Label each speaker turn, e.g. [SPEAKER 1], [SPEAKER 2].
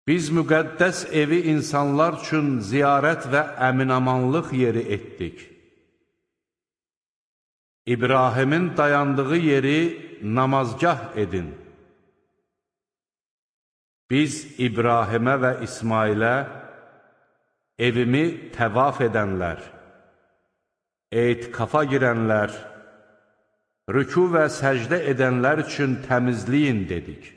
[SPEAKER 1] Biz müqəddəs evi insanlar üçün ziyarət və əminamanlıq yeri etdik. İbrahimin dayandığı yeri namazgah edin. Biz İbrahimə və İsmailə evimi təvaf edənlər, etikafa girənlər, rüku və səcdə edənlər üçün təmizləyin dedik.